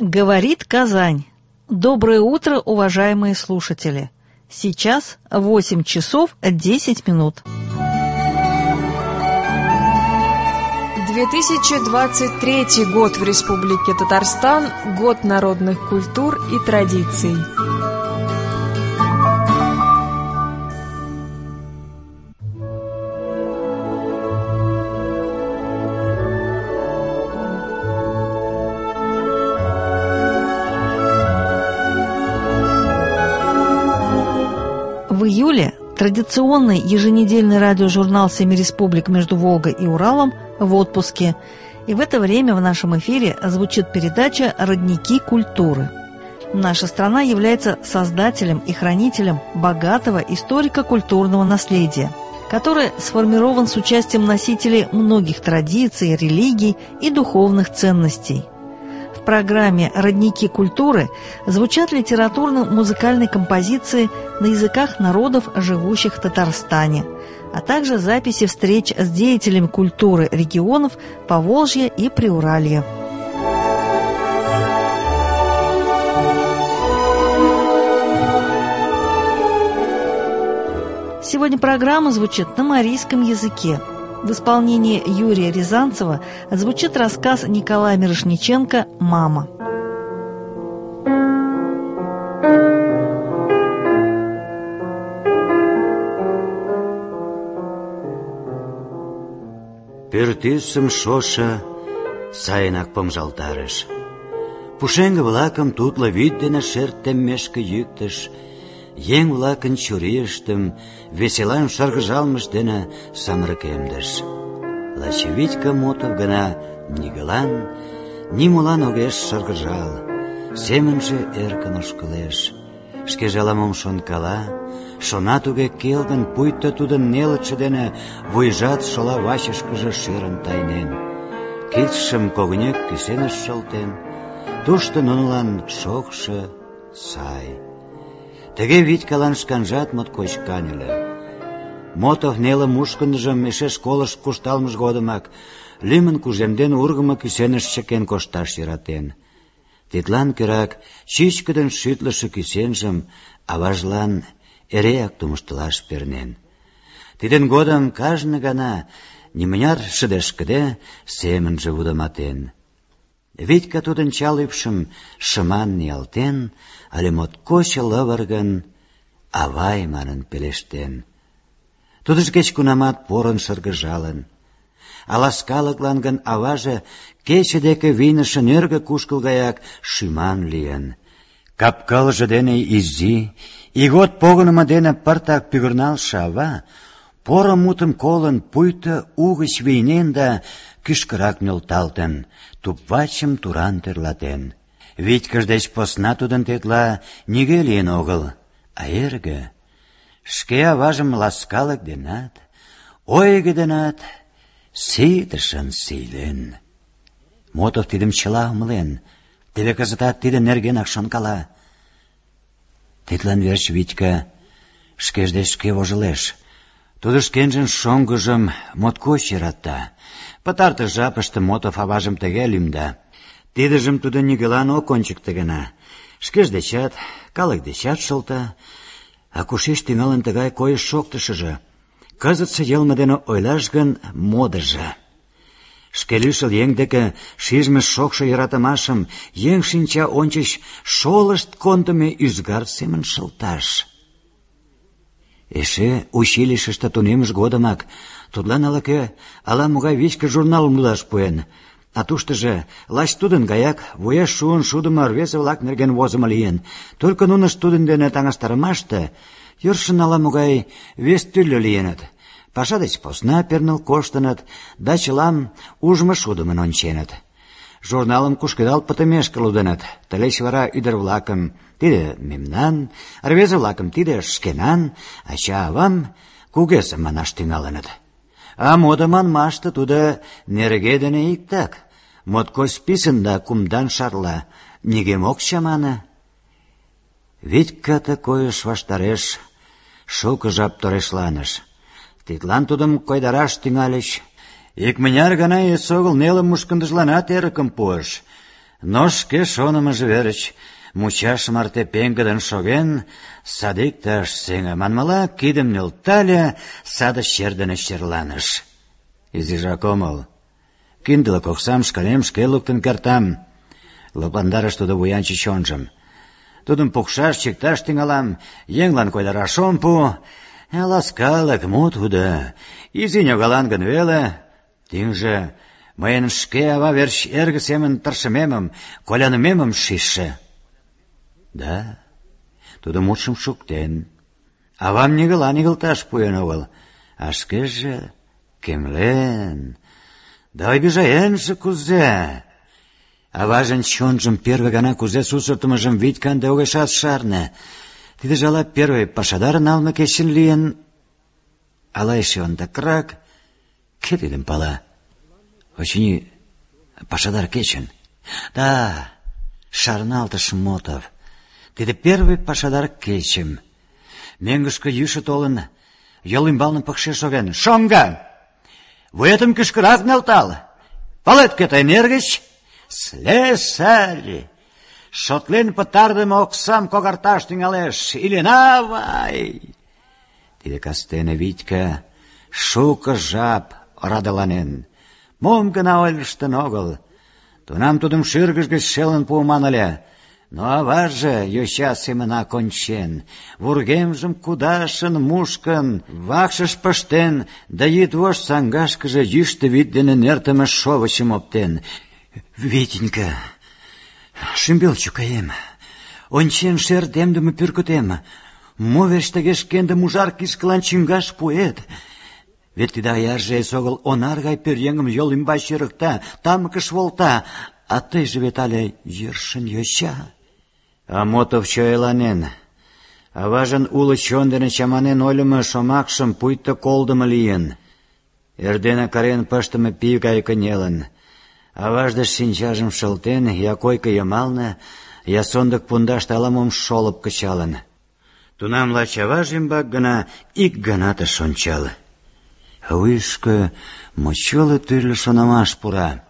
Говорит Казань. Доброе утро, уважаемые слушатели. Сейчас 8 часов 10 минут. 2023 год в Республике Татарстан – год народных культур и традиций. В июле традиционный еженедельный радиожурнал «Семи республик между Волгой и Уралом» в отпуске. И в это время в нашем эфире звучит передача «Родники культуры». Наша страна является создателем и хранителем богатого историко-культурного наследия, который сформирован с участием носителей многих традиций, религий и духовных ценностей. В программе «Родники культуры» звучат литературно-музыкальные композиции на языках народов, живущих в Татарстане, а также записи встреч с деятелями культуры регионов Поволжья и Приуралья. Сегодня программа звучит на марийском языке. В исполнении Юрия Рязанцева звучит рассказ Николая Мирошниченко «Мама». Пӱртӱсым шошо сайынак помыжалтарыш. Пушеҥге-влакым тутло вӱд дене шер теммешке йӱктыш, еҥ-влакын чурийыштым веселан шыргыжалмышт дене самырыкемдыш. Лач Витька Мотов гына нигӧлан, нимолан огеш шыргыжал, семынже эркын ошкылеш. Шкеже ала-мом шонкала, шона туге келгын, пуйто тудын нелытше дене вуйжат шола вачышкыже шӧрын тайнен. Кидшым когынек кӱсеныш шылтен, тушто нунылан шокшо, сай. Тыге Витькалан шканжат моткоч каньыле. Мотов неле мушкындыжым эше школыш куржталмыж годымак лӱмын кужемден ургымо кӱсеныш чыкен кошташ йӧратен. Тидлан кӧрак чӱчкыдын шӱтлышӧ кӱсенжым аважлан эреак тумыштылаш пернен. Тидын годым кажне гана нимыняр шыдешкыде семынже вудыматен. Витька тудын чал ӱпшым шыман ниялтен, але моткоч лывыргын «авай» манын пелештен. Тудыжо кеч-кунамат порын шыргыжалын. А ласкалыклан гын аваже кече деке вийныше нӧргӧ кушкыл гаяк шӱман лийын. Кап-кылже дене изи, ийгот погынымо дене пыртак пӱгырналше ава, поро мутым колын, пуйто угыч вийнен да кӱшкырак нӧлталтын, туп-вачым туран тӧрлатен. Витькыж деч посна тудын тетла нигӧ лийын огыл, а эрге шке аважым ласкалык денат, ойго денат ситышын сийлен. Мотов тидым чыла умылен, теве кызытат тиде нергенак шонкала. Тидлан верч Витька шкеж деч шке вожылеш. Тудо шкенжын шоҥгыжым моткоч йӧрата. Пытартыш жапыште Мотов аважым тыге лӱмда. Тидыжым тудо нигӧлан ок ончыкто гына. Шкеж дечат, калык дечат шылта. А кушеч тӱҥалын тыгай койыш-шоктышыжо? Кызытсе йылме дене ойлаш гын, модыжо. Шке лишыл еҥ деке шижме шокшо йӧратымашым еҥ шинча ончыч шолышт кондымо ӱзгар семын шылташ. Эше училищыште тунеммыж годымак тудлан ала-могай вичкыж журналым лудаш пуэн, а туштыжо лач тудын гаяк вуеш шуын шудымо рвезе-влак нерген возымо лийын. Только нунышт тудын дене таҥастарымаште йӧршын ала-могай вес тӱрлӧ лийыныт. Паша деч посна перныл коштыныт да чылам ужмо-шудымын онченыт. Журналым кушкедал пытымешке лудыныт. Тылеч вара ӱдыр-влакым тиде мемнан, рвезе-влакым тиде шкенан, ача-авам кугезе манаш тӱҥалыныт. А модо манмаште тудо нерге дене иктак. Моткоч писын да кумдан шарла, нигӧм ок чамане. Витька ты койыш ваштареш шуко жап торешланыш. Тидлан тудым койдараш тӱҥальыч. Икмыняр гана эсогыл неле мушкындыжланат эрыкым пуыш. Но шке шонымыжо верч мучаш марте пеҥгыдын шоген, садикте ыш сеҥе, манмыла, кидым нӧлтале, саде чер дене черланыш. Изижак омыл. Киндылык оксам шканем шке луктын кертам. Лыпландарыш тудо вуянче чонжым. Тудым пукшаш, чикташ тӱҥалам, еҥлан койдараш ом пу. Ласкалык, мо тудо, изи ньогалан гын веле. Тӱҥжӧ мыйын шке ава верч эрге семын тыршымемым, колянымемым шижше. Да, тудо мутшым шуктен. Авам нигылан игылташ пуэн огыл, а шкеже кемлен. Да обижаенже кузе! Аважын чонжым первый гана кузе сусыртымыжым Витька ынде огешат шарне. Тидыже ала первый пашадар налме кечын лийын, ала эше ондакрак, кӧ тидым пала? Очыни, пашадар кечын. Да, шарналтыш Мотов. Тиде первый пашадар кечым. Мӧҥгышкӧ йӱшӧ толын, йол ӱмбалне пыкше шоген. Шоҥго! Вуетым кӱшкырак нӧлтал! Палет, кӧ тыйын эргыч? Слесарь! Шотлен пытарыдыме оксам когарташ тӱҥалеш. Илинавай! Тиде кастене Витька шуко жап орадыланен. Мом гына ойлыштын огыл. Тунам тудым шӱргыж гыч шелын пуыман ыле. Но аваже йоча семынак ончен, вургемжым кудашын, мушкын, вакшыш пыштен, да йӱдвошт саҥгашкыже йӱштӧ вӱд дене нӧртымӧ шовычым оптен. Витенька, шӱмбел чукаем, ончен шер темдыме пӱркытем, мо верч тыге шкендым ужар кишкылан чӱҥгаш пуэт? Вет тиде аярже эсогыл онар гай пӧръеҥым йол ӱмбач йӧрыкта, тамыкыш волта, а тыйже вет але йӧршын йоча. А Мотов чояланен. Аважын уло чон дене чаманен ойлымо шомакшым пуйто колдымо лийын. Эрдене карен пыштыме пий гай кынелын. Аваж деч шинчажым шылтен, я койко йымалне, я сондык пундаште ала-мом шолып кычалын. Тунам лач аваж ӱмбак гына ик ганат ыш ончал. Вуйышко мочоло тӱрлӧ шонымаш пура.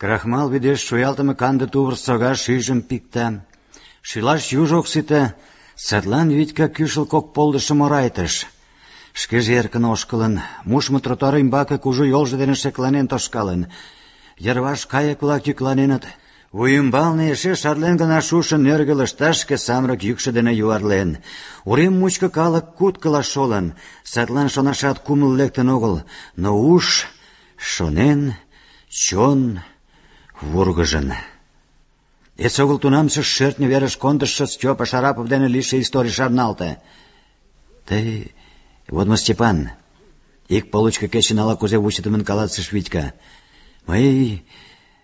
Крахмал вӱдеш шуялтыме канде тувыр сога шӱйжым пикта. Шӱлаш юж ок сите, садлан Витька кӱшыл кок полдышым орайтыш. Шкеже эркын ошкылын, мушмо тротуар ӱмбаке кужу йолжо дене шекланен тошкалын. Йырваш кайык-влак йӱкланеныт. Вуй ӱмбалне эше шарлен гына шушо нӧргӧ лышташ шке самырык йӱкшӧ дене юарлен. Урем мучко калык куткыла шолын, садлан шонашат кумыл лектын огыл, но уш шонен, чон вургыжын. Эсогыл тунамсе шӧртньӧ верыш кондышо Стёпа Шарапов дене лийше историй шарналте. Тый, вот мо, Степан, ик получко кечын ала-кузе вучыдымын каласыш Витька. Мый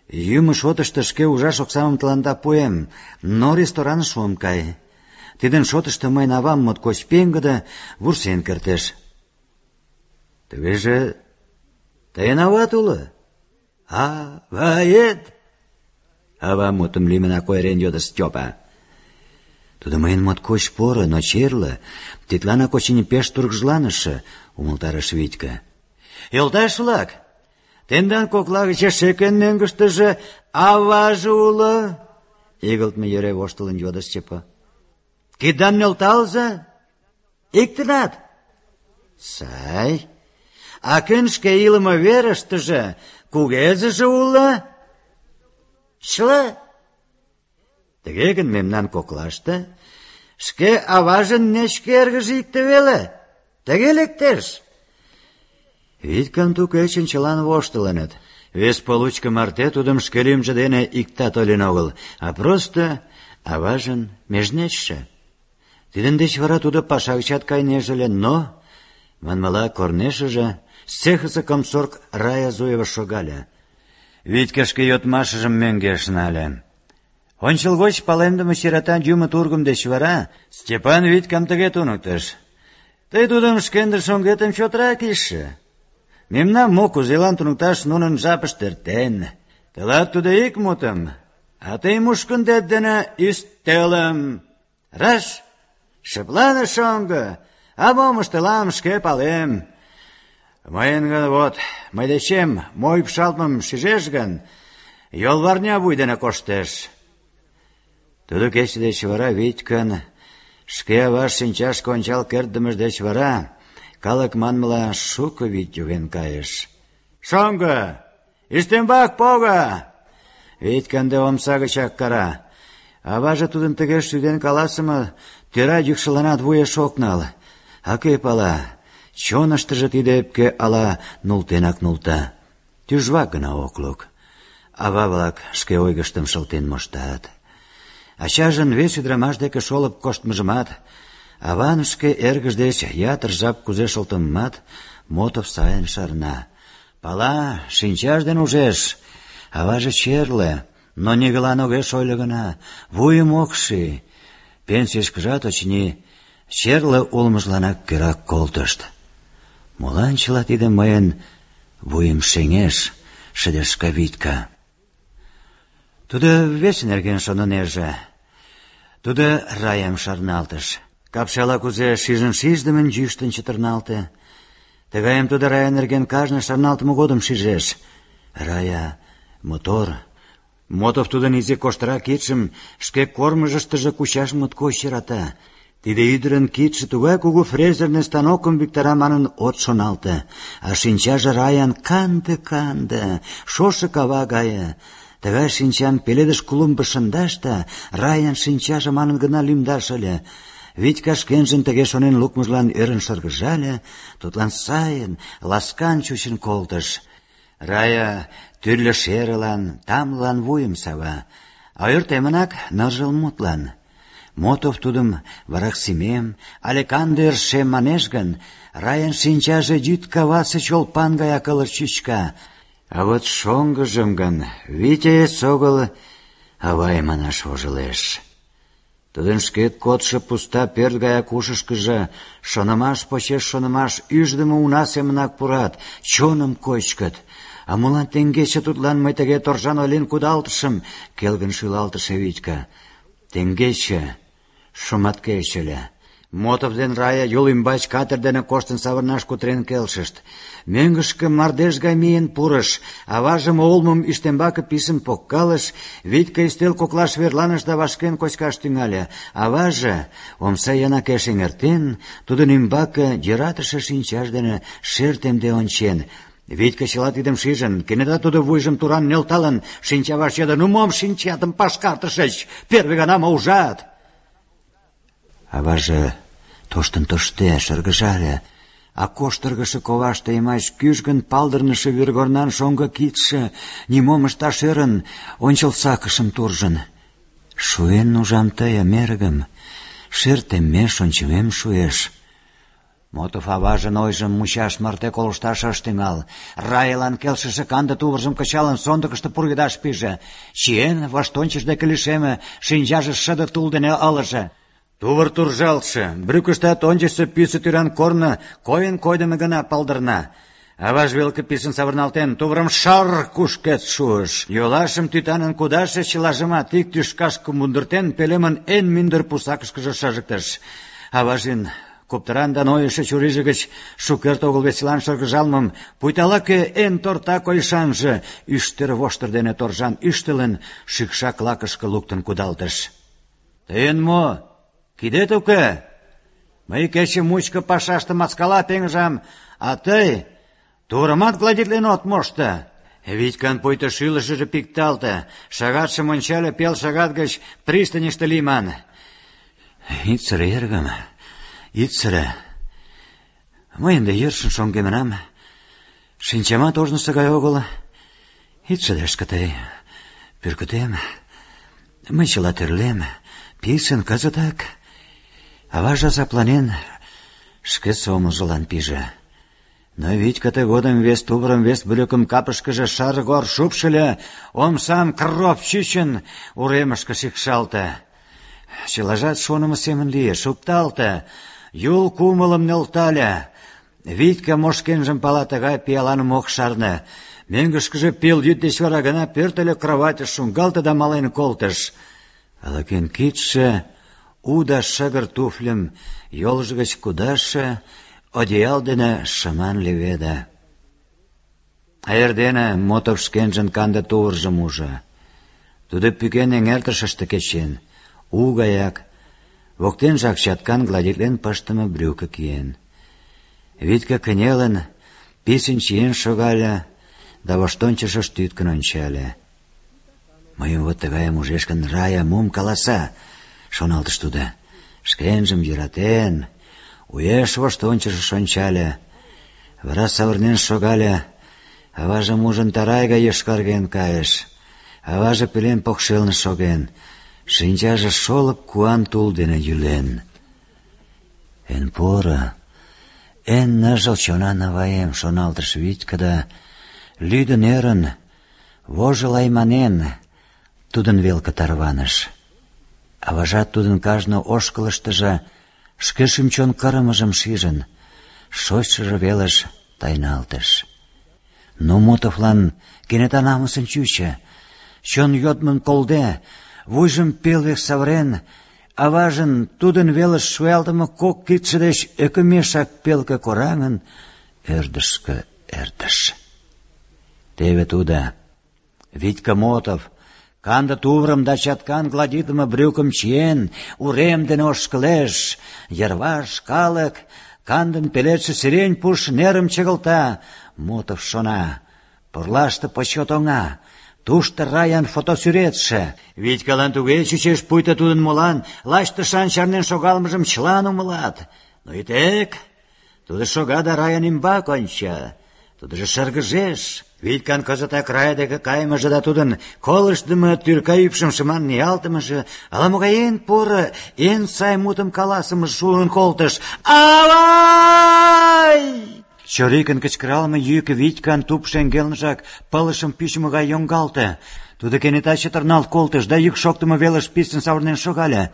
йӱмӧ шотышто шке ужаш оксамым тыланда пуэм, но рестораныш ом кай. Тидын шотышто мыйын авам моткоч пеҥгыде, вурсен кертеш. Тугеже тыйын ават уло? Авает? Ава мутым лӱмынак ойырен йодо Стёпа. Тудо мыйын моткоч поро, но черле, тидланак очыни пеш тургыжланыше, умылтарыш Витька. Йолташ-влак, тендан кокла гыч эше кӧн мӧҥгыштыжӧ аваже уло? Игылтме йӧре воштылын йодо Степа. Киддам нӧлталза. Иктынат. Сай. А кӧн шке илыме верыштыже кугезыже уло? Чыла. Тыге гын мемнан коклаште шке аважын нечке эргыже икте веле. Тыге лектеш. Витькан ту кечын чылан воштылыныт. Вес получко марте тудым шке лӱмжӧ дене иктат ойлен огыл, а просто аважын межнечше. Тидын деч вара тудо паша гычат кайнеже ыле, но, манмыла, корнешыже цехысе комсорг Рая Зуева шогале. Витька шке йодмашыжым мӧҥгеш нале. Ончылгоч палемдыме сирота юмо тургым деч вара Степан Витькам тыге туныктыш. Тый тудым шкендыр шоҥгетым чотрак ишше. Мемнам мо кузелан туныкташ нунын жапышт эртен. Тылат тудо ик мутым, а тый мушкындет дене ӱстелым. Раш? Шыплане, шоҥго, а мом ыштылам, шке палем. Мыйын гын, вот, мый дечем мо ӱпшалтмым шижеш гын, йолварня вуй дене коштеш. Тудо кече деч вара Витькан шке аваж шинчашке ончал кертдымыж деч вара калык манмыла шуко вӱд йоген кайыш. «Шоҥго, ӱстембак пого!» Витька ынде омса гычак кара. Аваже тудын тыге шӱден каласыме тӧра йӱкшыланат вуеш ок нал. А кӧ пала, чоныштыжо тиде ӧпке ала нултенак нулта. Тӱжвак гына ок лук. Ава-влак шке ойгыштым шылтен моштат. Ачажын вес ӱдырамаш деке шолып коштмыжымат, аван шке эргыж деч ятыр жап кузе шылтымымат Мотов сайын шарна. Пала, шинчаж ден ужеш. Аваже черле, но нигылан огеш ойло гына, вуйым ок ший. Пенсийышкыжат, очыни, черле улмыжланак кӧрак колтышт. Молан чыла тиде мыйын вуйым шеҥеш, шыдешка Витька. Тудо вес нерген шонынеже. Тудо Раям шарналтыш. Капшала кузе шижын-шиждымын йӱштын чытырналте. Тыгайым тудо Рая нерген кажне шарналтыме годым шижеш. Рая мотор. Мотов тудын изи коштыра кидшым шке кормыжыштыжо кучаш моткоч йӧрата. Тиде ӱдырын кидше тугай кугу фрезерный станокым виктара манын от шоналте, а шинчаже Раян канде-канде, шошо кава гае. Тыгай шинчам пеледыш клумбыш шындаш да Раян шинчаже манын гына лӱмдаш ыле. Витька шкенжын тыге шонен лукмыжлан ӧрын шыргыжале, тудлан сайын, ласкан чучын колтыш. Рая тӱрлӧ шерылан, тамлылан вуйым сава, а ӧртемынак ныжыл мутлан. Мотов тудым вараксимем але канде ӧршем манеш гын, Раян шинчаже йӱд кавасе чолпан гаяк ылыж чӱчка. А вот шоҥгыжым гын Витя эсогыл авай манаш вожылеш. Тудын шке кодшо пуста пӧрт гаяк ушышкыжо шонымаш почеш шонымаш ӱждымӧ уна семынак пурат, чоным кочкыт. А молан теҥгече тудлан мый тыге торжан ойлен кудалтышым? Келгын шӱлалтыше Витька. Теҥгече шуматкече ыле. Мотов ден Рая Юл ӱмбач катер дене коштын савырнаш кутырен келшышт. Мӧҥгышкӧ мардеж гай миен пурыш, аважым олмым ӱстембаке писын поккалыш, Витька ӱстел коклаш верланыш да вашкен кочкаш тӱҥале. Аваже, омса йымакеш эҥертен, тудын ӱмбаке йӧратыше шинчаж дене шер темде ончен. Витька чыла тидым шижын, кенета тудо вуйжым туран нӧлталын, шинчаваш йодо: «Ну мом шинчатым пашкартышыч? Первый гана мо ужат?» Аваже тоштын тоште, шыргыжале, а коштыргыше коваште йымач кӱжгын палдырныше вӱргорнан шоҥго кидше нимом ышташ ӧрын ончыл сакышым туржын. «Шуэн ужам тыйым, эргым, шер теммеш ончымем шуэш». Мотов аважын ойжым мучаш марте колышташ ыш тӱҥал. Раялан келшыше канде тувыржым кычалын сондыкышто пургедаш пиже. Чиен, воштончыш деке лишеме, шинчаже шыде тул дене ылыже. Тувыр туржалтше, брюкыштат ончычсо пӱсӧ тӱран корно койын-койдымо гына палдырна. Аваж велке писын савырналтен, тувырым шар кушкед шуыш. Йолашым тӱтанын кудаше чылажымат ик тӱшкашке мундыртен, пӧлемын эн мӱндыр пусакышкыже шыжыктыш. Аважын коптыран да нойышо чурийже гыч шукерте огыл веселан шыргыжалмым, пуйто ала-кӧ эн торта койышанже ӱштыр воштыр дене торжан ӱштылын, шӱкшак лакышке луктын кудалтыш. «Тыйын мо? Кидет уке? Мый кече мучко пашаште маскала пеҥыжам, а тый тувырымат гладитлен от мошто». Витькан пуйто шӱлышыжӧ пикталте, шагатшым ончале, пел шагат гыч пристаньыште лийман. «Ит сыре, эргым, ит сыре. Мый ынде йӧршын шоҥгемынам. Шинчамат ожнысо гай огыл. Ит шыдешке тый, пӱркытем. Мый чыла тӧрлем, писын кызытак». Аваже азапланен шке сомылжылан пиже. Но Витька тыгодым вес тувырым, вес брюкым капышкыже шаргор шупшыльо, омсам кроп чӱчын уремышке шикшалте. Чылажат шонымо семын лие, шукталте, Юл кумылым нӧлтале. Витька мо шкенжым пала, тыгай пиаланым ок шарне. Мӧҥгышкыжӧ пелйӱд деч вара гына пӧртыльӧ, кроватьыш шуҥгалте да мален колтыш. Ала-кӧн кидше у да шыгыр туфльым йолжо гыч кудашше одеял дене шыман леведе. А эрдене Мотов шкенжын канде тувыржым ужо. Тудо пӱкен эҥертышыште кечен, у гаяк, воктенжак чаткан гладитлен пыштыме брюко киен. Витька кынелын, писын чиен шогале да воштончышыш тӱткын ончале. «Мыйым вот тыгайым ужеш гын, Рая мом каласа?» — шоналтыш тудо. Шкенжым йӧратен, уэш воштончышыш ончале, вара савырнен шогале. Аважым ужын, тарай гай йошкарген кайыш. Аваже пелен покшелне шоген, шинчаже шолып куан тул дене йӱлен. «Эн поро, эн ныжыл чонан аваем», — шоналтыш Витька да, лӱдын-ӧрын, вожыл айманен, тудын велке тарваныш. Аважат тудын кажне ошкылыштыже шке шӱм-чон кырымыжым шижын, шочшыжо велыш тайналтыш. Но Мотовлан кенета намысын чучо. Чон йодмым колде, вуйжым пелвек савырен, аважын тудын велыш шуялтыме кок кидше деч ӧкымешак пелке кораҥын, ӧрдыжкӧ эртыш. Теве тудо, Витька Мотов, канде тувырым да чаткан гладитлыме брюкым чиен, урем дене ошкылеш. Йырваш калык кандын пеледше сирень пуш нерым чыгылта. Мотов шона: пурлаште почет оҥа, тушто Раян фотосӱретше. Витькалан туге чучеш, пуйто тудын молан лач тышан чарнен шогалмыжым чылан умылат. Но и тек тудо шога да Раян ӱмбак онча. Тудыжо шыргыжеш. Витькан кызытак Рая деке кайымыже да тудын колыштдымо тӱрка ӱпшым шыман ниялтымыже, ала-могай эн поро, эн сай мутым каласымыже шуын колтыш. «Авай!» Чорикын кычкыралме йӱк Витькан туп шеҥгелныжак пылышым пӱчмӧ гай йоҥгалте. Тудо кенета чытырналт колтыш да йӱк шоктымо велыш писын савырнен шогале.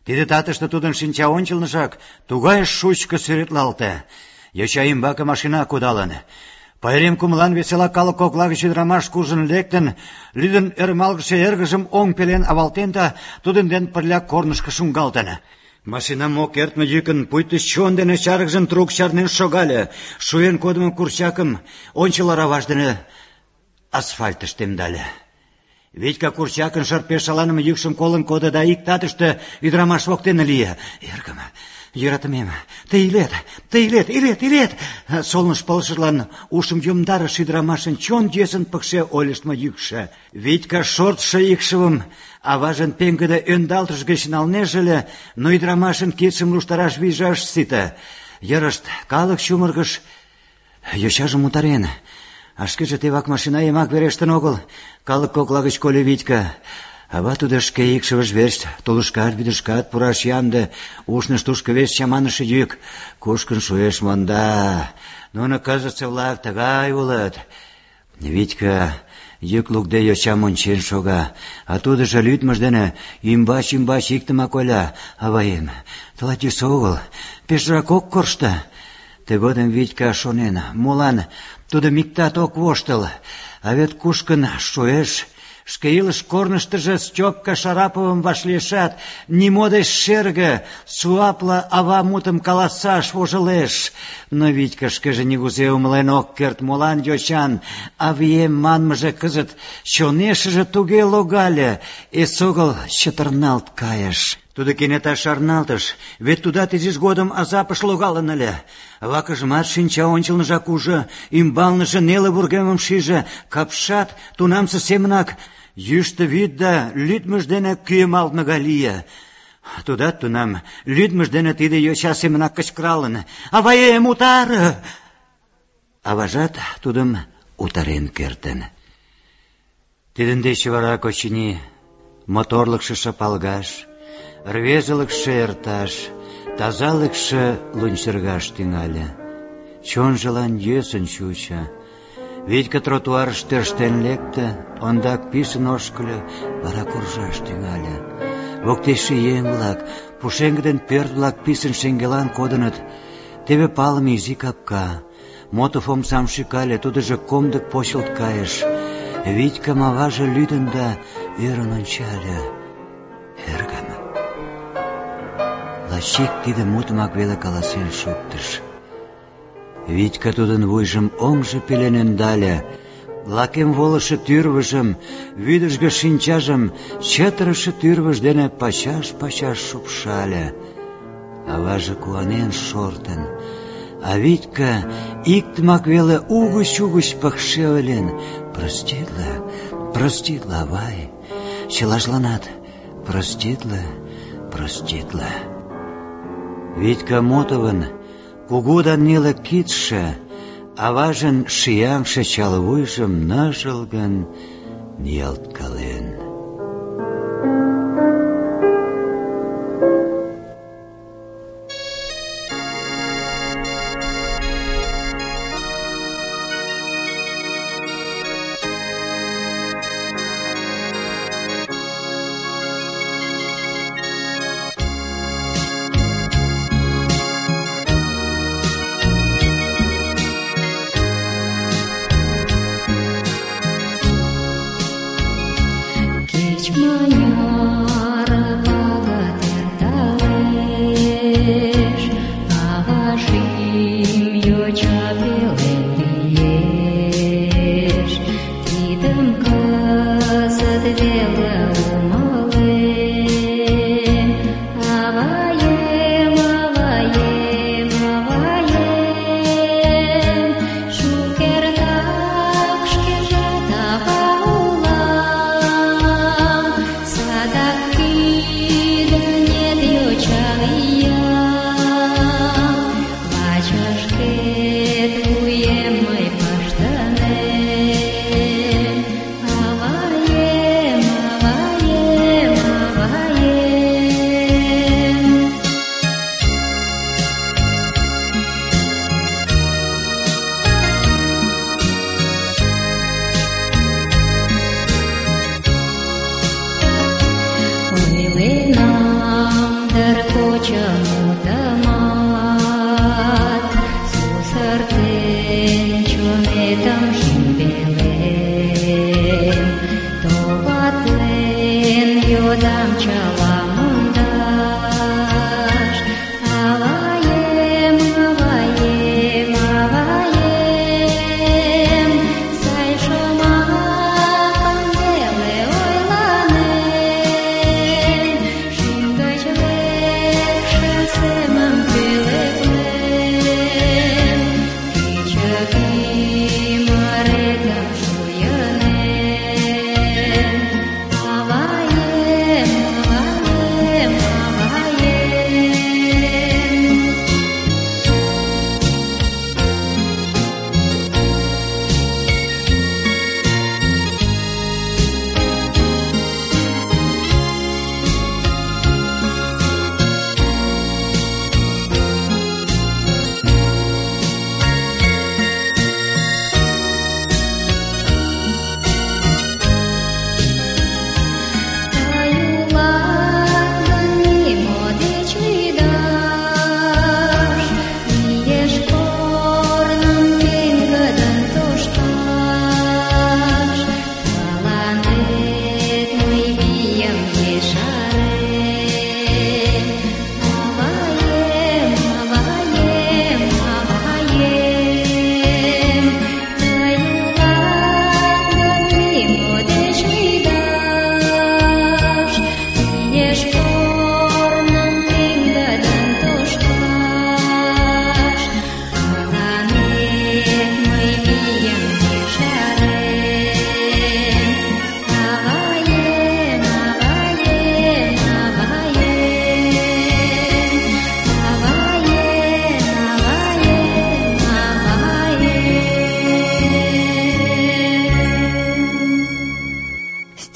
Тиде татыште тудын шинча ончылныжак тугай шучко сӱретлалте. Йоча ӱмбаке машина кудалын. Пайрем кумылан весела калык кокла гыч ӱдырамаш куржын лектын, лӱдын ӧрмалгыше эргыжым оҥ пелен авалтен да тудын ден пырля корнышко шуҥгалтын. Машинам ок эртме йӱкын пуйто чон дене чаргыжын трук чарнен шогале. Шуен кодымо курчакым ончыл ораваж дене асфальтыш темдале. Витька курчакын шырпе шаланыме йӱкшым колын кодо да ик татыште ӱдырамаш воктене лие. «Эргым, йӧратымем, тый илет!» Солныш пылышыжлан ушым йомдарыш ӱдырамашын чон йӧсын пыкше ойлыштмо йӱкшӧ. Витька шортшо икшывым аважын пеҥгыде ӧндалтыш гыч налнеже ыле, но ӱдырамашын кидшым луштараш вийже ыш сите. Йырышт калык чумыргыш, йочажым утарен. А шкеже тевак машина йымак верештын огыл. Калык кокла гыч кольо Витька. Ава тудо шке икшывыж верч тулышкат, вӱдышкат пураш ямде. Ушныш тушко вес чаманыше йӱк. Кушкын шуэш монда. Нуно кызытсе-влак тыгай улыт. Витька йӱк лукде йочам ончен шога, а тудыжо лӱдмыж дене ӱмбач иктымак ойла: «Аваем, тылат йӧсӧ огыл, пешрак ок коршто». Тыгодым Витька шонен, молан тудым иктат ок воштыл, а вет кушкын шуэш. Шке илыш корныштыжо Стёпка Шараповым вашлиешат, нимо деч шерге, суапле ава мутым каласаш вожылеш. Но Витька шкеже нигузе умылен ок керт, молан йочан «авием» манмыже кызыт чонешыже туге логале, эсогыл чытырналт кайыш. Тудо кенета шарналтыш, вет тудат изиж годым азапыш логалын ыле. Вакыжымат шинча ончылныжак ужо, ӱмбалныже неле вургемым шиже, капшат тунамсе семынак йӱштӧ вӱд да лӱдмыж дене кӱэмалтме гай лие. Тудат тунам лӱдмыж дене тиде йоча семынак кычкыралын: «Аваем, утаре!» Аважат тудым утарен кертын. Тидын деч вара, очыни, моторлыкшо шапалгаш, рвезылыкше эрташ, тазалыкше лунчыргаш тӱҥале. Чонжылан йӧсын чучо. Витька тротуарыш тӧрштен лекте, ондак писын ошкыльо, вара куржаш тӱҥале. Воктечше еҥ-влак, пушеҥге ден пӧрт-влак писын шеҥгелан кодыныт. Теве палыме изи капка. Мотов омсам шӱкале, тудыжо комдык почылт кайыш. Витькам аваже лӱдын да ӧрын ончале. «Эргым». Лач ик тиде мутымак веле каласен шуктыш. Витька тудын вуйжым оҥжо пелен ӧндале, лакем волышо тӱрвыжым, вӱдыжгӧ шинчажым чытырыше тӱрвыж дене пачаш-пачаш шупшале. Аваже куанен шортын, а Витька иктымак веле угыч-угыч пыкше ойлен: «Проститле, проститле, авай, чылажланат проститле, проститле». Витька Мотовын кугу да неле кидше аважын шияҥше чал вуйжым ныжылгын ниялткален.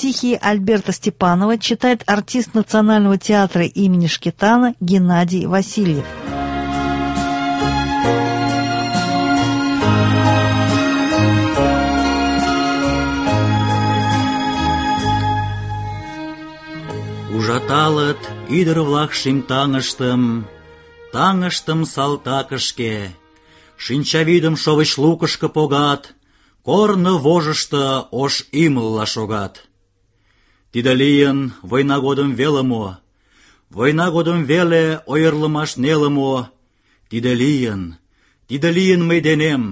Стихи Альберта Степанова читает артист Национального театра имени Шкетана Геннадий Васильев. Ужаталыт ӱдыр-влак шӱм таҥыштым салтакышке, шинчавӱдым шовыч лукышко погат, корно вожышто ош ӱмылла шогат. Тиде лийын война годым веле мо, война годым веле ойырлымаш неле мо, тиде лийын тиде лийын мый денем,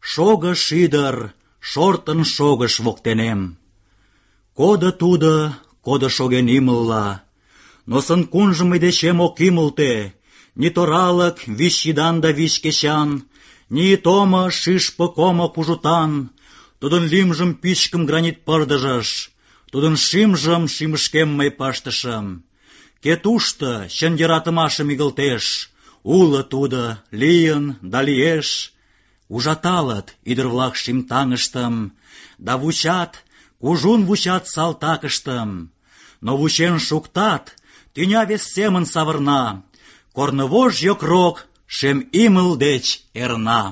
шого шӱдыр, шортын шогыш воктенем. Кодо тудо, кодо шоген имылла, но сын-кунжым мый дечем ок ӱмылтӧ, ни торалык вич йӱдан да вич кечан, ни томо шӱшпык омо кужутан. Тудын лӱмжым пӱчкым гранит пырдыжыш, тудын шӱмжым шӱмышкем мый пыштышым. Кӧ тушто чын йӧратымашым игылтеш, уло тудо, лийын да лиеш. Ужаталыт ӱдыр-влак шӱм таҥыштым, да вучат, кужун вучат салтакыштым. Но вучен шуктат, тӱня вес семын савырна, корнывож йокрок шем имыл деч эрна.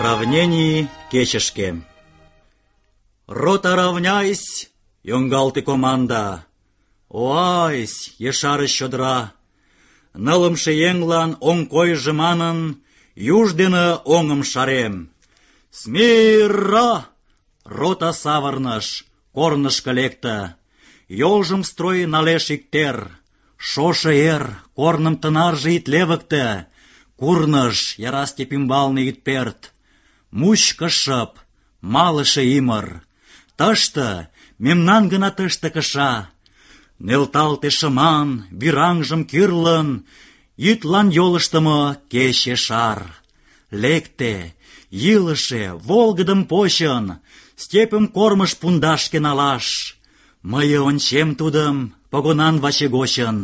Равнений кечышке. Рота, равняйсь, йоҥгалте команда. Оайсь, ешарыш чодыра. Нылымше еҥлан оҥ койжо манын, юж дене оҥым шарем. Смирра! Рота савырныш, корнышко лекте. Йолжым строй налеш иктер. Шошо эр, корным тынарже ит левыкте. Курныж, яра степь ӱмбалне ит пӧрт. Мучко шып, малыше ӱмыр. Тыште, мемнан гына тыште кыша. Нӧлталте шыман, вӱраҥжым кӱрлын, йӱдлан йолыштымо кече шар. Лекте, йӱлышӧ, волгыдым почын, степьым кормыж пундашке налаш. Мый ончем тудым погонан ваче гочын.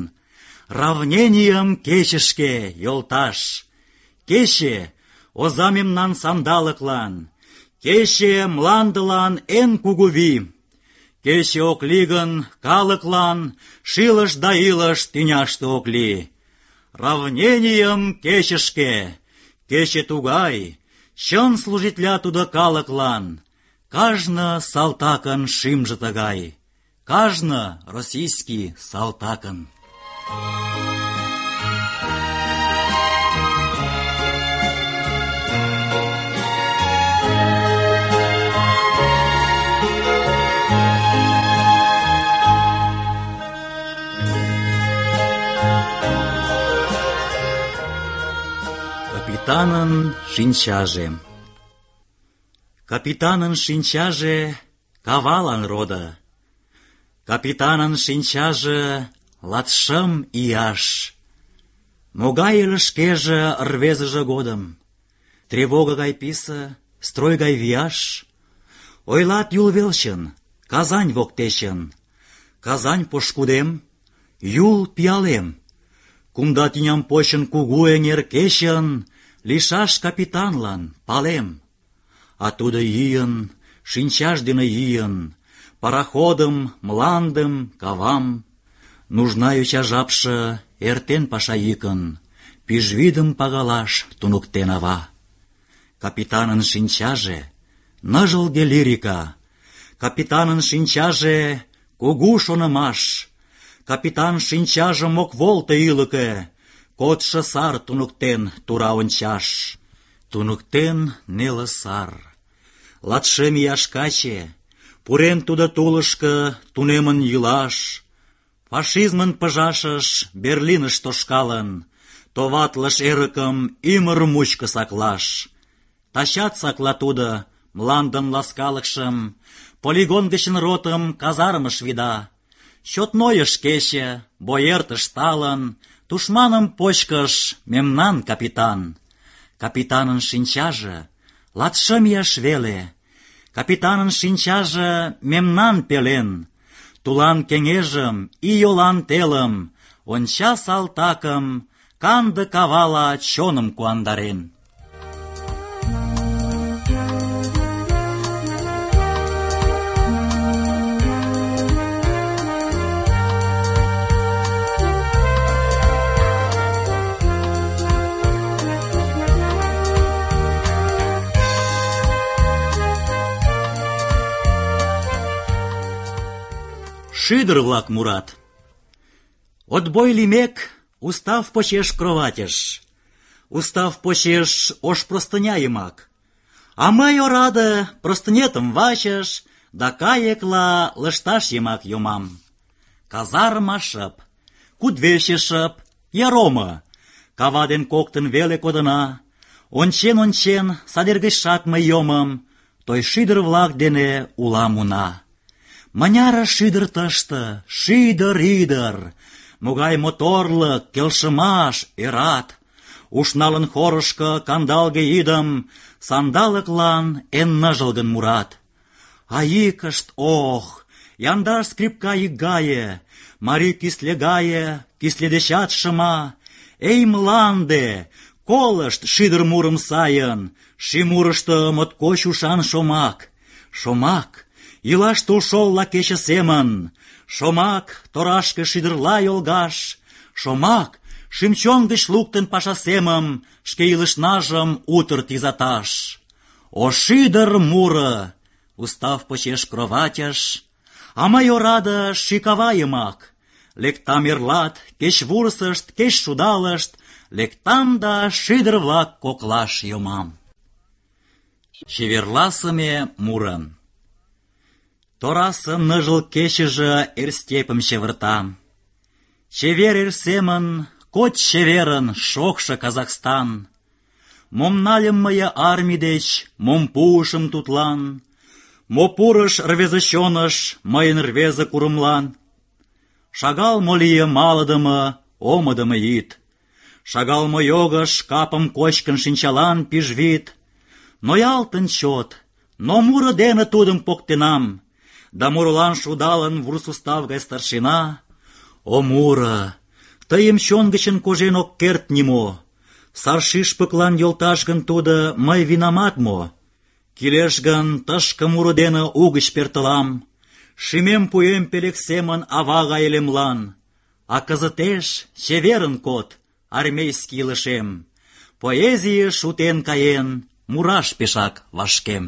Равненийым кечышке, йолташ. Кече — оза мемнан сандалыклан. Кече — мландылан эн кугу вий. Кече ок лий гын, калыклан шилыш да илыш тӱняште ок лий. Равненийым кечышке. Кече тугай, чын служитля тудо калыклан. Кажне салтакын шӱмжӧ тыгай. Кажне российский салтакын. Капитанын шинчаже. Капитанын шинчаже кавалан родо. Капитанын шинчаже 25 ияш. Могай ыле шкеже рвезыже годым. Тревога гай писе, строй гай вияш. Ойлат Юл велчын, Казань воктечын. Казань пошкудем, Юл пиалем. Кумда тӱням почын кугу эҥер кечын, лишаш капитанлан палем. А тудо йӱын, шинчаж дене йӱын, пароходым, мландым, кавам. Нужна йоча жапше эртен паша йӱкын, пӱжвӱдым пагалаш туныктен ава. Капитанын шинчаже — ныжылге лирика. Капитанын шинчаже — кугу шонымаш. Капитан шинчажым ок волто ӱлыкӧ, кодшо сар туныктен тура ончаш. Туныктен неле сар. 25 ияш каче, пурен тудо тулышко тунемын йӱлаш. Фашизмын пыжашыш Берлиныш тошкалын, товатлыш эрыкым ӱмыр мучко саклаш. Тачат сакла тудо мландын ласкалыкшым, полигон гычын ротым казармыш вида. Чот нойыш кече, бой эртыш талын, тушманым почкыш мемнан капитан. Капитанын шинчаже 25 ияш веле. Капитанын шинчаже мемнан пелен. Тулан кеҥежым, ийолан телым, онча салтакым, канде кавала чоным куандарен. Шӱдыр-влак мурат. Отбой лиймек, устав почеш кроватьыш. устав почеш ош простыня йымак. А мый, ораде, простынетым вачыш да кайыкла лышташ йымак йомам. Казарма шып, кудвече шып, яромо. Кава ден коктын веле кодына. Ончен-ончен, садер гычшак мый йомым, той шӱдыр-влак дене улам уна. Мыняре шӱдыр тыште, шӱдыр-ӱдыр, могай моторлык, келшымаш, ӧрат. Ушналын хорышко кандалге йӱдым, сандалыклан эн ныжылгын мурат. А йӱкышт, ох, яндар скрипка йӱк гае, марий кӱсле гае, кӱсле дечат шыма. Эй, мланде, колышт шӱдыр мурым сайын, шӱмурышто моткоч ушан шомак. Шомак, илаш тулшолла кече семын, шомак, торашке шӱдырла йолгаш, шомак, шӱм-чон гыч луктын паша семым, шке илышнажым утыр тӱзаташ. О шӱдыр муро, устав почеш кроватьыш, а мый, ораде, шӱкава йымак. Лектам эрлат, кеч вурсышт, кеч шудалышт, лектам да шӱдыр-влак коклаш йомам. Чеверласыме муро. Торасе ныжыл кечыже эр степым чеверта. Чевер эр семын, коч чеверын, шокшо Казахстан. Мом нальым мые армий деч, мом пуышым тудлан, мо пурыш рвезе чоныш мыйын рвезе курымлан. Шагал мо лие малыдыме, омыдымо йӱд. Шагал мо йогыш капым кочкын шинчалан пижвид. Ноялтын чот, но муро дене тудым поктенам, да мурылан шудалын вурс устав гай старшина. О муро, тыйым чон гычын кожен ок керт нимо. Сар шӱшпыклан йолташ гын тудо, мый винамат мо? Кӱлеш гын, тышке муро дене угыч пӧртылам. Шӱмем пуэм пелек семын ава гай элемлан. А кызытеш чеверын код, армейский илышем. Поэзийыш шутен каен, мураш пешак вашкем.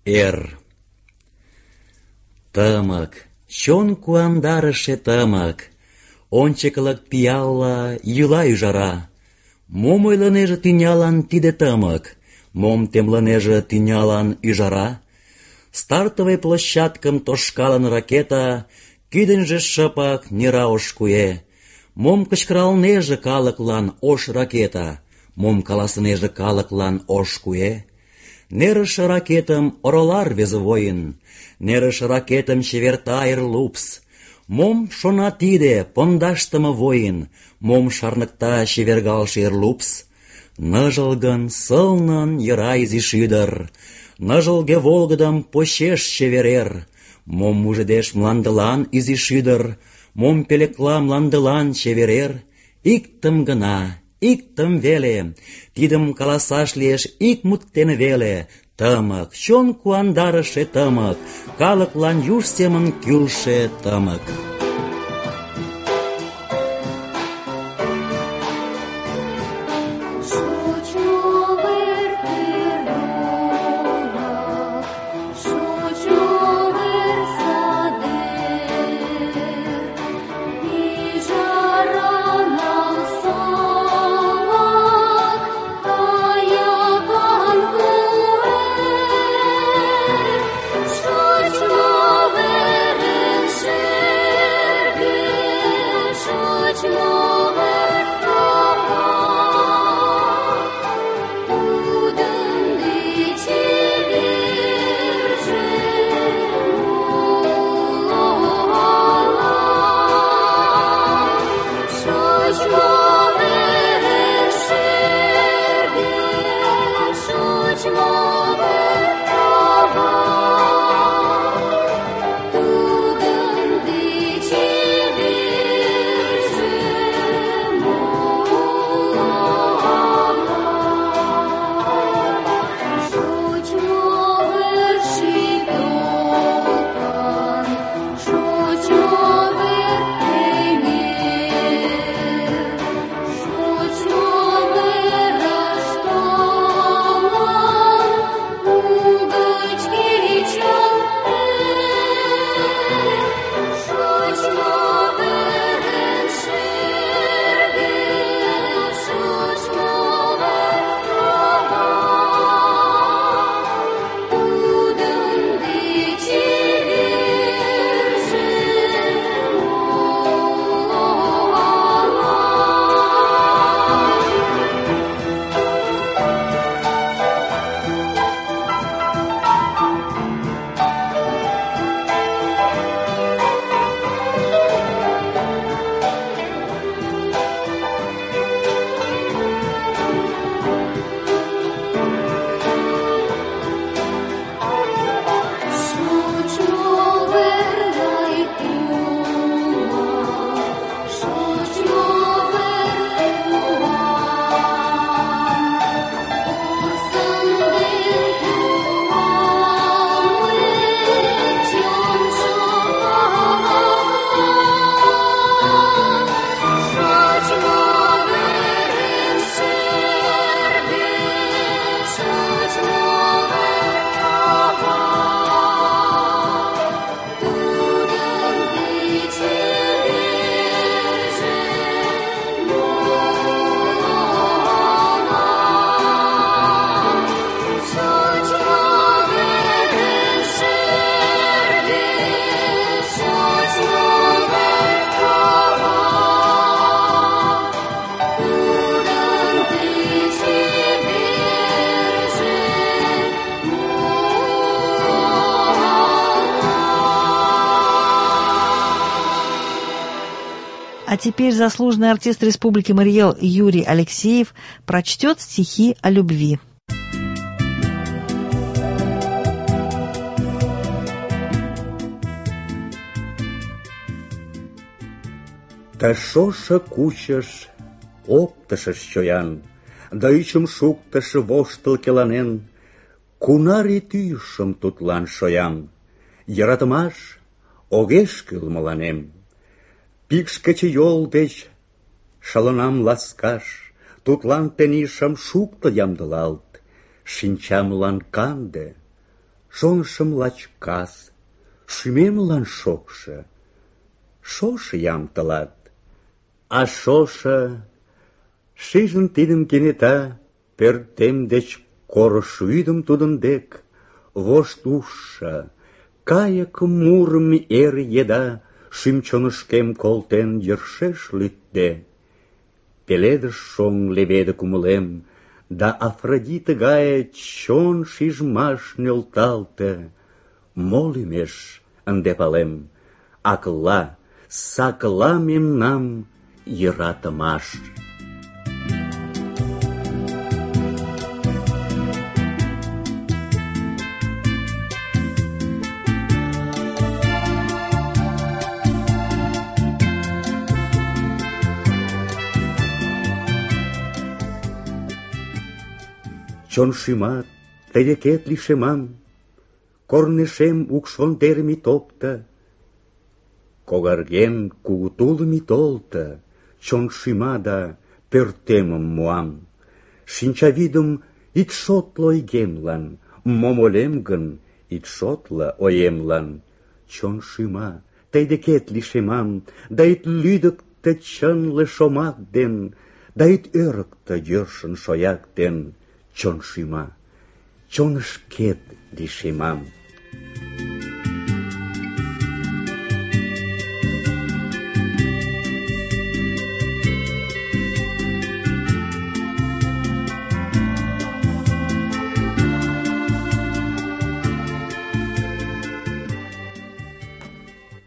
Эр. Тымык, чон куандарыше тымык, ончыклык пиалла йӱла ӱжара. Мом ойлынеже тӱнялан тиде тымык, мом темлынеже тӱнялан ӱжара? Стартовый площадкым тошкалын ракета, кӱдыньжӧ шыпак нера ош куэ. Мом кычкыралнеже калыклан ош ракета, мом каласынеже калыклан ош куэ? Нерыше ракетым орола рвезе воин, нерыше ракетым чеверта эр лупс. Мом шона тиде пондашдыме воин, мом шарныкта чевергалше эр лупс? Ныжылгын, сылнын йӧра изи шӱдыр, ныжылге волгыдым почеш чевер эр. Мом мужедеш мландылан изи шӱдыр, мом пӧлекла мландылан чевер эр? Иктым гына, иктым веле, тидым каласаш лиеш ик мут дене веле. Тымык, чон куандарыше тымык, калыклан юж семын кӱлшӧ тымык. Что А теперь заслуженный артист Республики Марий Эл Юрий Алексеев прочтет стихи о любви. Та шоша кучаш оптышыш чоян, да ӱчым шуктыш воштыл келанен, кунаре тӱйышым тудлан шоям, йӧратымаш огеш кӱл мыланем. Пикш кечыйол деч шылынам ласкаш, тудлан тений шым шукто ямдылалт, шинчамлан канде, шонышым лач кас, шӱмемлан шокшо, шошо ям тылат. А шошо, шижын тидым кенета, пӧртем деч корыш вӱдым тудын дек, вошт ужшо, кайык мурым эр еда, шӱм-чонышкем колтен йӧршеш лӱдде. Пеледыш шоҥ леведе кумылем, да Афродита гае чон шижмаш нӧлталте. Мо лӱмеш ынде палем, акла, сакла мемнам йӧратымаш. Чон шӱмат тый декет лишемам, корнешем укш вондерым ит опто, когарген кугу тулым ит олто, чон шӱма да пӧртемым муам. Шинчавӱдым ит шотло ойгемлан, мом ойлем гын, ит шотло оемлан. Чон шӱма тый декет лишемам, да ит лӱдыктӧ чынле шомак ден, да ит ӧрыктӧ йӧршын шояк ден. Чон шӱма, чонышкет лишемам.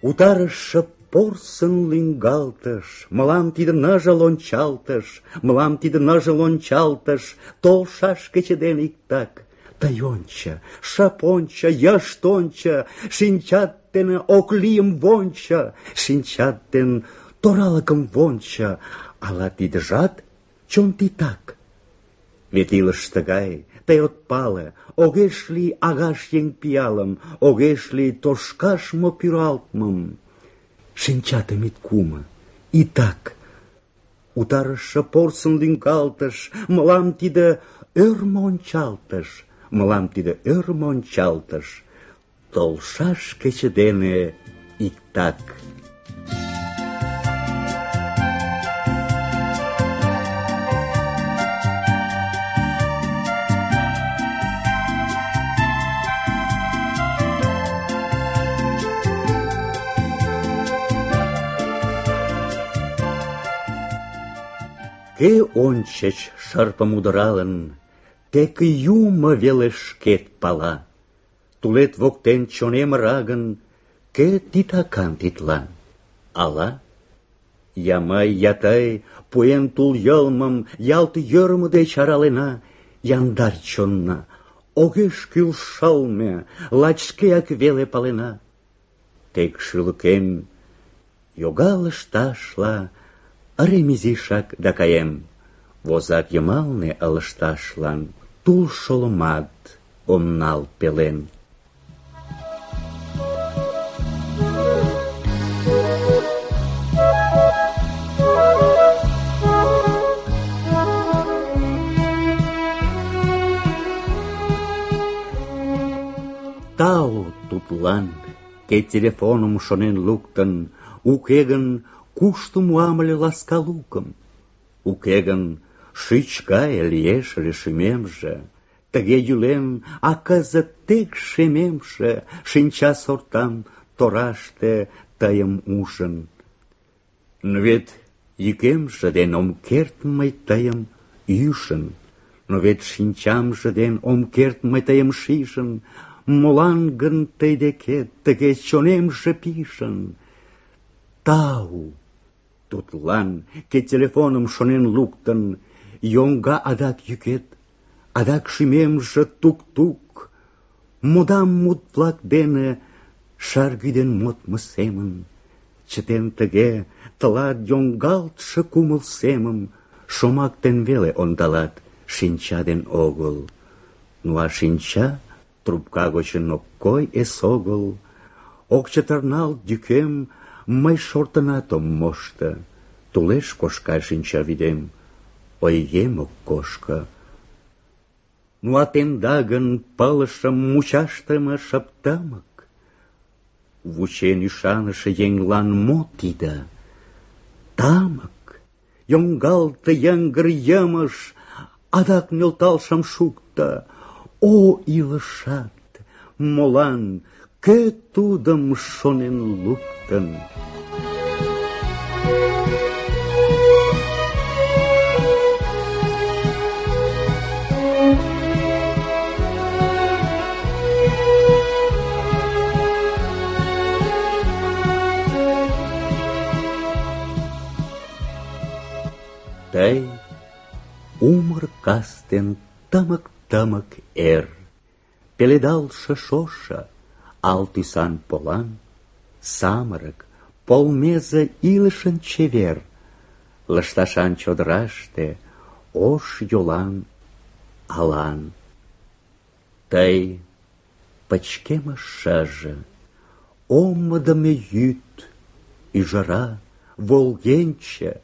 Утарыше порсын лӱҥгалтыш, мылам тиде ныжыл ончалтыш, мылам тиде ныжыл ончалтыш, толшаш кече ден иктак. Тый ончо, шып ончо, йышт ончо, шинчат дене ок лийым вончо, шинчат ден торалыкым вончо, ала тидыжат чон титак? Вет илыш тыгай, тый от пале, огеш лий агаш еҥ пиалым, огеш лий тошкаш мо пӱралтмым. Шинчатым ит кумо, итак. Утарыше порсын лӱҥгалтыш, мылам тиде ӧрмӧ ончалтыш, мылам тиде ӧрмӧ ончалтыш, толшаш кече дене иктак. Кӧ ончыч шырпым удыралын, тек юмо веле шкет пала. Тулет воктен чонем ыра гын, кӧ титакан тидлан? Ала? Я мый, я тый, пуэн тул йылмым, ялт йӧрмӧ деч аралена, яндар чонна, огеш кӱл шылме, лач шкеак веле палена. Тек шӱлыкем йога лышташла, ырем изишак да каем, возак йымалне ылыжташлан тул шолымат ом нал пелен. Тау тудлан, кӧ телефоным шонен луктын, уке гын кушто муам ыле ласка лукым? Уке гын шӱч гае лиеш ыле шӱмемже, тыге йӱлем, а кызыт тек шемемше, шинча сортам тораште тыйым ужын. Но вет йӱкемже ден ом керт мый тыйым ӱжын, но вет шинчамже ден ом керт мый тыйым шижын, молан гын тый декет тыге чонемже пижын? Тау, Тудлан, ке телефоным шонен луктын, йоҥга адак йӱкет, адак шӱмемже тук-тук, модам мут-влак дене шаргӱден модмо семын. Чытен тыге тылат йоҥгалтше кумыл семым, шомак ден веле ондалат, шинча ден огыл. Ну а шинча трубка гочын ок кой эсогыл. Ок чытырналт йӱкем, мый шортынат ом мошто. Тулеш кошка шинчавӱдем, ойгем ок кошко. Ну а темда гын пылышым мучашдыме шып тымык. Вучен ӱшаныше еҥлан мо тиде? Тамык, йоҥгалте йыҥгыр йымыш, адак нӧлтал шым шукто. О, илышат, молан, кӧ тудым шонен луктын? Тый умыр кастен тымык-тымык эр, пеледалше шошо, ал тӱсан полан, самырык, полмезе илышын чевер, лышташан чодыраште ош йолан алан. Тый пычкемыш шыже, омыдымо йӱд, ӱжара, волгенче,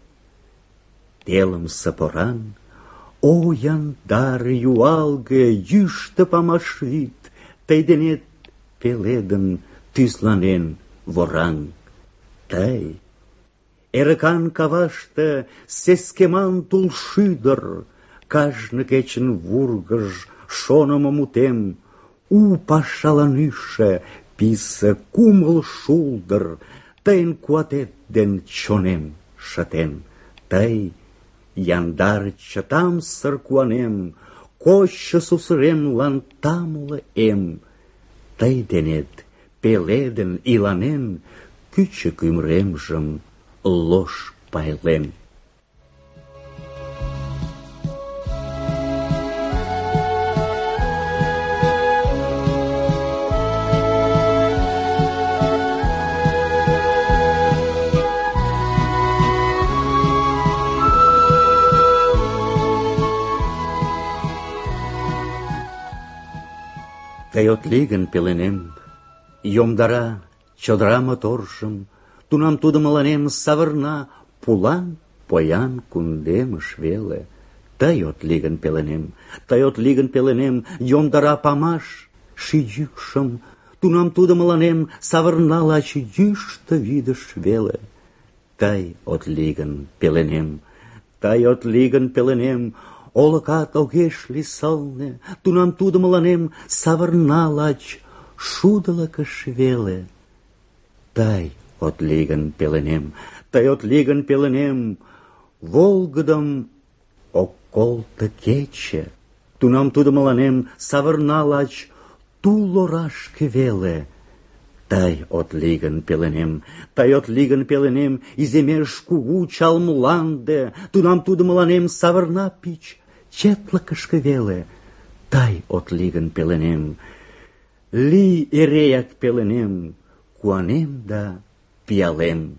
телымсе поран, о яндар, юалге, йӱштӧ памаш вӱд, тый денет пеледын, тӱзланен вораҥ. Тый, эрыкан каваште сескеман тулшӱдыр, кажне кечын вургыж шонымо мутем, у пашалан ӱжшӧ писе кумыл шулдыр, тыйын куатет ден чонем шытен. Тый, яндар чытамсыр куанем, кочшо сусыремлан тамле эм. Тый денет пеледын иланен, кӱчык ӱмыремжым лош пайлен. Тый от лий гын пеленем, йомдара чодыра моторжым, тунам тудо мыланем савырна пулан поян кундемыш веле. Тый от лий гын пеленем, тый от лий гын пеленем, йомдара памаш ший йӱкшым, тунам тудо мыланем савырна лач йӱштӧ вӱдыш веле. Тый от лий гын пеленем, тый от лий гын пеленем, олыкат огеш лий сылне, тунам тудо мыланем савырна лач шудылыкыш веле. Тый от лий гын пеленем, тый от лий гын пеленем, волгыдым ок колто кече, тунам тудо мыланем савырна лач тул орашке веле. Тый от лий гын пеленем, тый от лий гын пеленем, иземеш кугу чал мланде, тунам тудо мыланем савырна пич четлыкышке веле. Тый от лий гын пеленем, лий эреак пеленем, куанем да пиалем.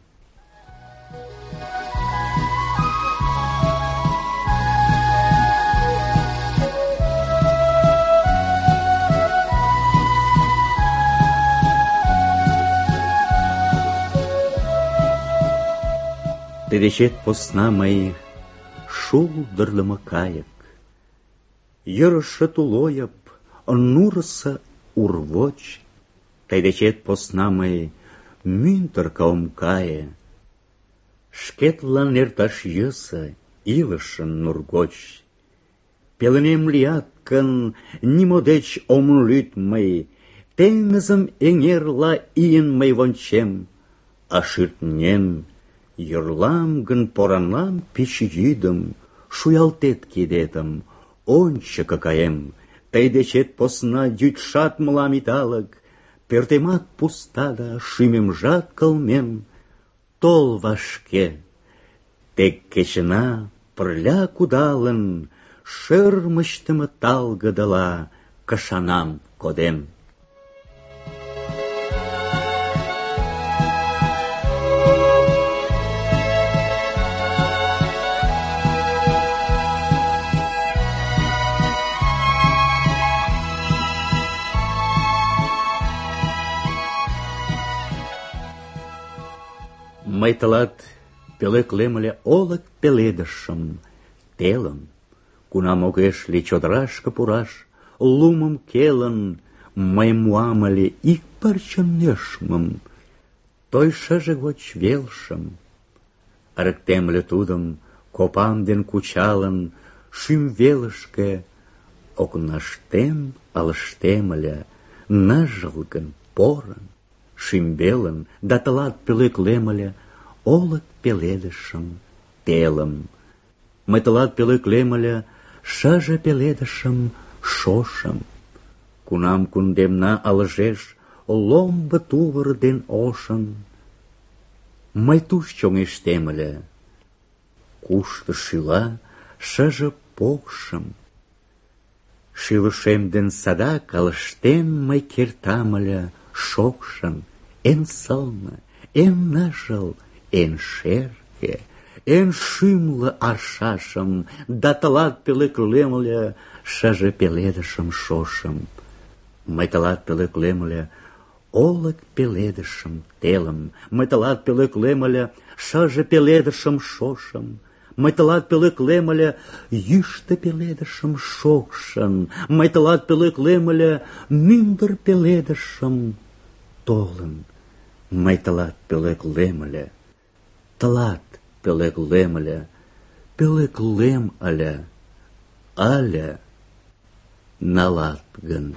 Тый дечет посна мый шулдырлымо кайык, йӧрышӧ тулойып, нурысо урвоч. Тый дечет посна мый мӱндыркӧ ом кае, шкетлан эрташ йӧсӧ илышын нур гоч. Пеленем лият гын, нимо деч ом лӱд мый, теҥызым эҥерла ийын мый вончем, а шӱртнен йӧрлам гын поранлан пич йӱдым, шуялтет кидетым, ончыко каем. Тый дечет посна йӱдшат мылам идалык, пӧртемат пуста да шӱмемжат кылмем. Тол вашке, Тек кечына пырля кудалын, шӧрмычтымӧ талгыдыла кышанам кодем. Мый тылат пӧлеклем ыле олык пеледышым, телым, кунам огеш лий чодырашке пураш, лумым келын, мый муам ыле ик пырче нӧшмым, той шыже гоч велшым. Ырыктем ыле тудым, копам ден кучалын, шӱм велышке окнаштем ылыжтем ыле, ныжылгын, порын, шӱмбелын, да тылат пӧлеклем ыле олык пеледышым, телым. Мый тылат пӧлеклем ыле шыже пеледышым, шошым. Кунам кундемна ылыжеш ломбо тувыр ден ошын, мый туш чоҥештем ыле, кушто шӱла шыже покшым. Шӱлышем ден садак ылыжтен мый кертам ыле шокшын, эн сылне, эн ныжыл, эн шерге, эн шӱмлӧ аршашым, да тылат пӧлеклем ыле шыже пеледышым, шошым. Мый тылат пӧлеклем ыле олык пеледышым, телым. Мый тылат пӧлеклем ыле шыже пеледышым, шошым. Мый тылат пӧлеклем ыле йӱштӧ пеледышым, шокшын. Мый тылат пӧлеклем ыле мӱндыр пеледышым, толын. Мый тылат пӧлеклем ыле, тылат пӧлеклем ыле, пӧлеклем ыле, але налат гын.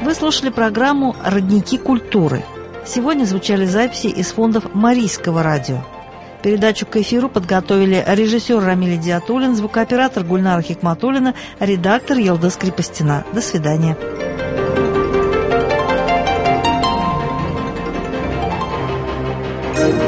Вы слушали программу «Родники культуры». Сегодня звучали записи из фондов Марийского радио. Передачу к эфиру подготовили режиссер Рамиль Диатуллин, звукооператор Гульнара Хикматуллина, редактор Елдыс Крепостина. До свидания. Thank you.